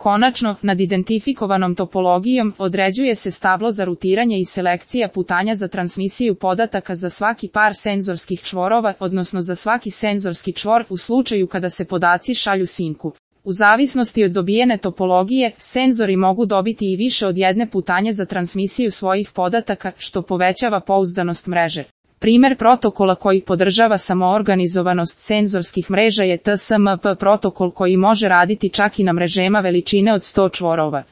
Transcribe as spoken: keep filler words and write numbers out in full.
Konačno, nad identifikovanom topologijom određuje se stablo za rutiranje i selekcija putanja za transmisiju podataka za svaki par senzorskih čvorova, odnosno za svaki senzorski čvor u slučaju kada se podaci šalju sinku. U zavisnosti od dobijene topologije, senzori mogu dobiti i više od jedne putanje za transmisiju svojih podataka, što povećava pouzdanost mreže. Primer protokola koji podržava samoorganizovanost senzorskih mreža je T S M P protokol koji može raditi čak i na mrežama veličine od sto čvorova.